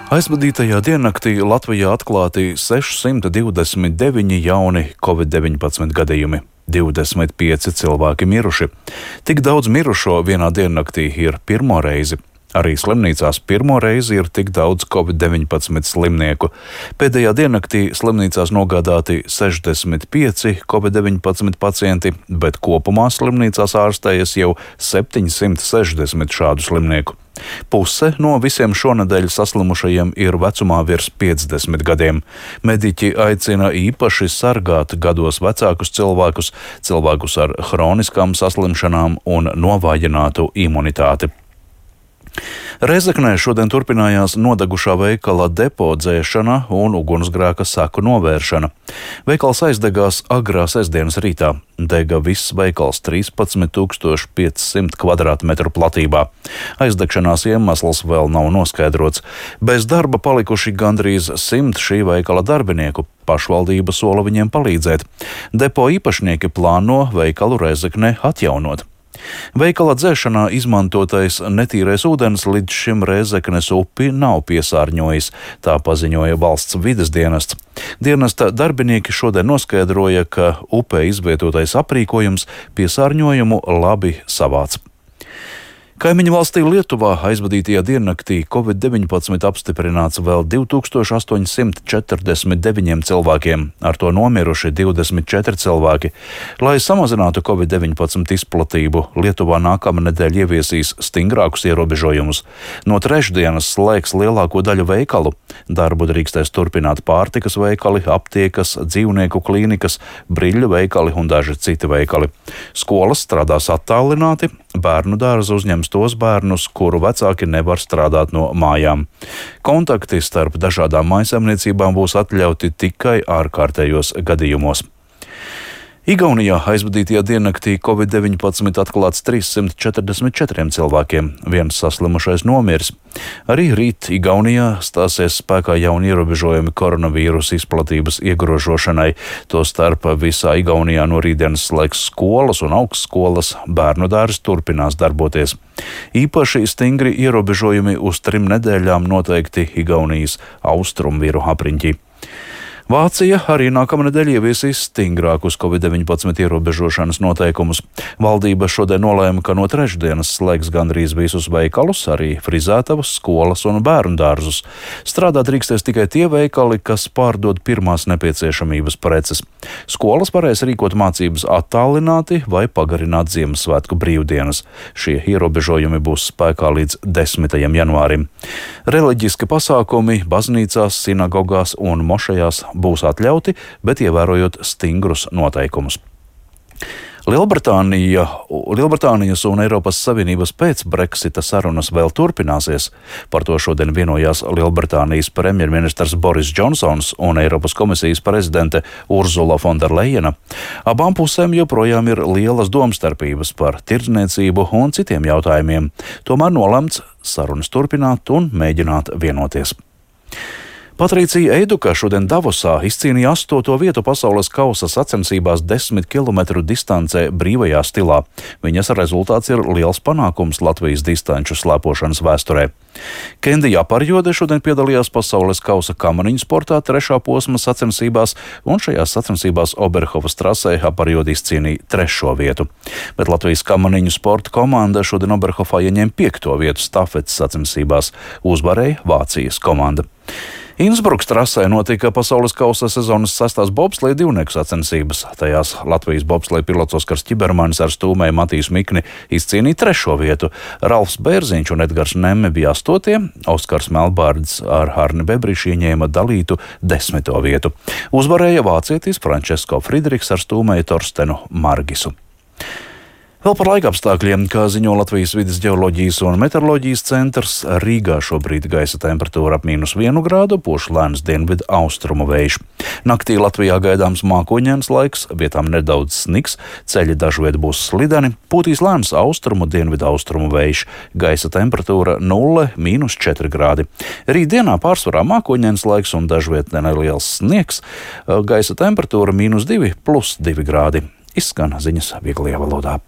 Aizvadītajā diennaktī Latvijā atklāti 629 jauni Covid-19 gadījumi. 25 cilvēki miruši. Tik daudz mirušo vienā diennaktī ir pirmo reizi. Arī slimnīcās pirmo reizi ir tik daudz Covid-19 slimnieku. Pēdējā diennaktī slimnīcās nogādāti 65 Covid-19 pacienti, bet kopumā slimnīcās ārstējas jau 760 šādu slimnieku. Puse no visiem šonedēļ saslimušajiem ir vecumā virs 50 gadiem. Mediķi aicina īpaši sargāt gados vecākus cilvēkus ar hroniskām saslimšanām un novājinātu imunitāti. Rēzeknē šodien turpinājās nodegušā veikala depo dzēšana un ugunsgrēka seku novēršana. Veikals aizdegās agrā sestdienas rītā. Dega viss veikals 13,500 kvadrātmetru platībā. Aizdegšanās iemesls vēl nav noskaidrots. Bez darba palikuši gandrīz 100 šī veikala darbinieku. Pašvaldība sola viņiem palīdzēt. Depo īpašnieki plāno veikalu Rēzeknē atjaunot. Veikala dzēšanā izmantotais netīrais ūdens līdz šim Rēzeknes upi nav piesārņojis, tā paziņoja valsts vides dienests. Dienesta darbinieki šodien noskaidroja, ka upē izvietotais aprīkojums piesārņojumu labi savāc. Kaimiņu valstī Lietuvā aizvadītajā diennaktī Covid-19 apstiprināts vēl 2849 cilvēkiem, ar to nomiruši 24 cilvēki. Lai samazinātu Covid-19 izplatību, Lietuvā nākamnedēļ ieviesīs stingrākus ierobežojumus. No trešdienas slēgs lielāko daļu veikalu. Darbu drīkstēs turpināt pārtikas veikali, aptiekas, dzīvnieku klīnikas, briļļu veikali un daži citi veikali. Skolas strādās attālināti, bērnu dārza uzņems tos bērnus, kuru vecāki nevar strādāt no mājām. Kontakti starp dažādām mājsaimniecībām būs atļauti tikai ārkārtējos gadījumos. Igaunijā aizvadītajā diennaktī Covid-19 atklāts 344 cilvēkiem, viens saslimušais nomiris. Arī rīt Igaunijā stāsies spēkā jauni ierobežojumi koronavīrusa izplatības iegrožošanai. Tostarp visā Igaunijā no rītdienas slēgs skolas un augstskolas, bērnu dārzi turpinās darboties. Īpaši stingri ierobežojumi uz 3 nedēļām noteikti Igaunijas austrumvieru apriņķī. Vācija arī nākamnedēļ ieviesīs stingrākus Covid-19 ierobežošanas noteikumus. Valdība šodien nolēma, ka no trešdienas slēgs gandrīz visus veikalus, arī frizētavas, skolas un bērnu dārzus. Strādāt drīkstēs tikai tie veikali, kas pārdod pirmās nepieciešamības preces. Skolas varēs rīkot mācības attālināti vai pagarināt Ziemassvētku brīvdienas. Šie ierobežojumi būs spēkā līdz 10. janvārim. Reliģiski pasākumi baznīcās, sinagogās un mošejās būs atļauti, bet ievērojot stingrus noteikumus. Lielbritānijas un Eiropas Savienības pēc Brexita sarunas vēl turpināsies. Par to šodien vienojās Lielbritānijas premjerministrs Boris Džonsons un Eiropas komisijas prezidente Urzula Fonderlejena. Abām pusēm joprojām ir lielas domstarpības par tirdzniecību un citiem jautājumiem. Tomēr nolemts sarunas turpināt un mēģināt vienoties. Patricija Eiduka šodien Davosā izcīnīja 8. vietu pasaules kausa sacensībās 10 km distancē brīvajā stilā. Viņas rezultāts ir liels panākums Latvijas distanču slēpošanas vēsturē. Kendija Aparjode šodien piedalījās pasaules kausa kamaniņu sportā 3. posma sacensībās, un šajās sacensībās Oberhofas trasē Aparjode izcīnīja 3. vietu. Bet Latvijas kamaniņu sporta komanda šodien Oberhofā ieņēma 5. vietu stafetes sacensībās. Uzvarēja Vācijas komanda. Innsbrukas trasē notika pasaules kausa sezonas 6. bobsleja divnieku sacensības. Tajās Latvijas bobsleja pilots Oskars Čibermanis ar stūmēju Matīs Mikni izcīnīja 3. vietu. Ralfs Bērziņš un Edgars Nemme bija 8. Oskars Melbārds ar Arni Bebrišu ieņēma dalītu 10. vietu. Uzvarēja vācietis Frančesko Friedrichs ar stūmēju Torstenu Margisu. Vēl par laikapstākļiem, kā ziņo Latvijas vides ģeoloģijas un meteoroloģijas centrs, Rīgā šobrīd gaisa temperatūra ap -1 grādu, pūš lēns dienvidu austrumu vējš. Naktī Latvijā gaidāms mākoņains laiks, vietām nedaudz sniks, ceļi dažviet būs slideni, pūtīs lēns austrumu dienvidu austrumu vējš, gaisa temperatūra 0–4 grādi. Rītdienā pārsvarā mākoņains laiks un dažviet neliels sniegs, gaisa temperatūra -2–+2 grādi. Izskan ziņas vieglajā valodā.